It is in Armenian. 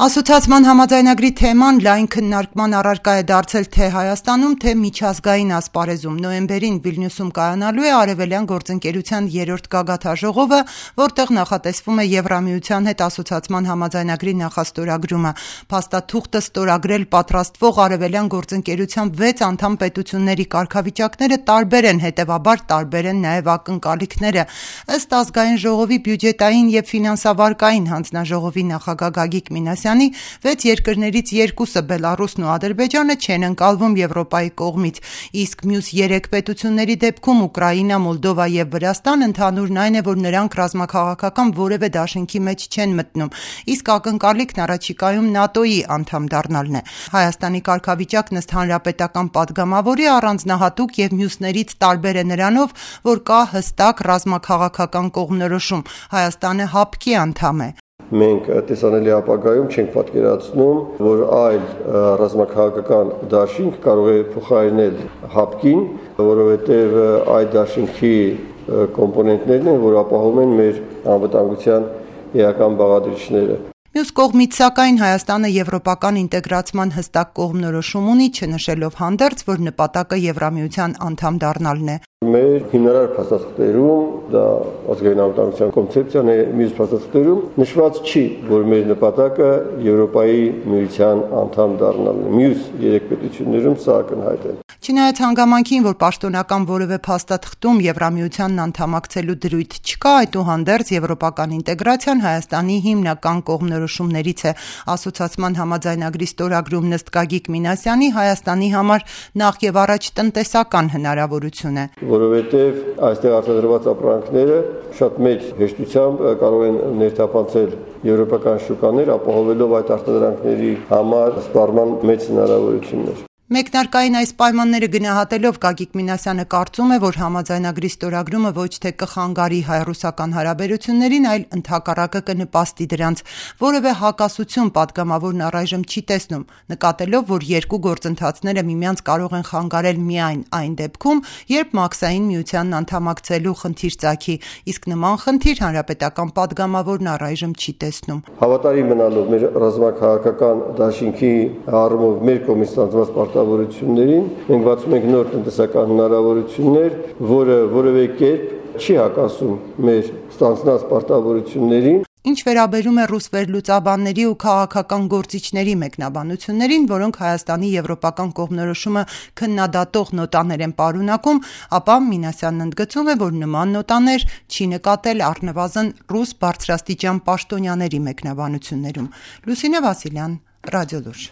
Ասոցիացման համաձայնագրի թեման լայն քննարկման առարկա է դարձել թե Հայաստանում, թե միջազգային ասպարեզում։ Նոյեմբերին Վիլնյուսում կայանալու է Արևելյան գործընկերության 3-րդ գագաթաժողովը, որտեղ նախատեսվում է Եվրամիության հետ ասոցիացման համաձայնագրի նախաստորագրումը։ Փաստաթուղթը ստորագրել պատրաստվող Արևելյան գործընկերության 6 անդամ պետությունների կարգավիճակները տարբեր են, հետևաբար տարբեր են նաև ակնկալիքները։ Ըստ Ազգային ժողովի բյուջետային եւ ֆինանսավարկային հանձնաժողովի նախագահ Գագիկ Մինասյանի 6 երկրներից 2-ը Բելառուսն ու Ադրբեջանը չեն ընկալվում Եվրոպայի կողմից, իսկ մյուս 3 պետությունների դեպքում Ուկրաինա, Մոլդովա եւ Վրաստան ընդհանուրն այն է, որ նրանք ռազմաքաղաքական որևէ դաշինքի մեջ չեն մտնում, իսկ ակնկալիքն առաջիկայում ՆԱՏՕ-ի անդամ դառնալն է։ Հայաստանի կարգավիճակն ըստ հանրապետական պատգամավորի առանձնահատուկ եւ մյուսներից տարբեր է նրանով, որ կա հստակ ռազմաքաղաքական կողմնորոշում։ Հայաստանը ՀԱՊԿ-ի անդամ է։ Մենք տեսանելի ապագայում չենք պատկերացնում, որ այլ ռազմաքաղաքական դաշինք կարող է փոխարինել ՀԱՊԿ-ին, որովհետև այդ դաշինքի կոմպոնենտներն են, որ ապահովում են մեր անվտանգության էական բաղադրիչները։ Մյուս կողմից, սակայն, Հայաստանը եվրոպական ինտեգրացման հստակ կողմնորոշում ունի, չնշելով հանդերձ, որ նպատակը Եվրամիության անդամ դառնալն է։ Մեր հիմնարար փաստաթղթերում, դա ազգային անվտանգության կոնցեպցիան է, մյուս փաստաթղթերում նշված չի, որ մեր նպատակը Եվրոպայի միության անդամ դառնալն է։ Մյուս 3 պետություններում սա ակնհայտ է։ Չնայած հանգամանքին, որ պաշտոնական որևէ փաստաթղթում Եվրամիությանն անդամակցելու դրույթ չկա, այդուհանդերձ եվրոպական ինտեգրացիան Հայաստանի հիմնական կողմնորոշումներից է։ Ասոցիացման համաձայնագրի ստորագրումն ըստ Գագիկ Մինասյանի Հայաստանի համար նախ եւ առաջ տնտեսական հնարավորություն է։ Որովհետև այստեղ արտադրված ապրանքները շատ մեծ հեշտությամբ կարող են ներթափանցել եվրոպական շուկաներ, ապահովելով այդ արտադրանքների համար սպառման մեծ հնարավորություններ։ Մեկնարկային այս պայմանները գնահատելով Գագիկ Մինասյանը կարծում է, որ համաձայնագրի ստորագրումը ոչ թե կխանգարի հայ-ռուսական հարաբերություններին, այլ ընդհակառակը կնպաստի դրանց։ Որևէ հակասություն պատգամավորն առայժմ չի տեսնում, նկատելով, որ երկու գործընթացները միմյանց կարող են խանգարել միայն այն դեպքում, երբ Մաքսային միությանն անդամակցելու խնդիր ծագի, իսկ նման խնդիր հանրապետական պատգամավորն առայժմ չի տեսնում։ Հավատարիմ մնալով մեր ռազմաքաղաքական դաշինքի առումով մեր կողմից ստանձնված պարտավորություններին, մենք բացում ենք նոր տնտեսական հնարավորություններ, որը որևէ կերպ չի հակասում մեր ստանձնած պարտավորություններին։ Ինչ վերաբերում է ռուս վերլուծաբանների ու քաղաքական գործիչների մեկնաբանություններին, որոնք Հայաստանի եվրոպական կողմնորոշումը քննադատող նոտաներ են պարունակում, ապա Մինասյանն ընդգծում է, որ նման նոտաներ չի նկատել առնվազն ռուս բարձրաստիճան պաշտոնյաների մեկնաբանություններում։ Լուսինե Վասիլյան, Ռադիոլուր։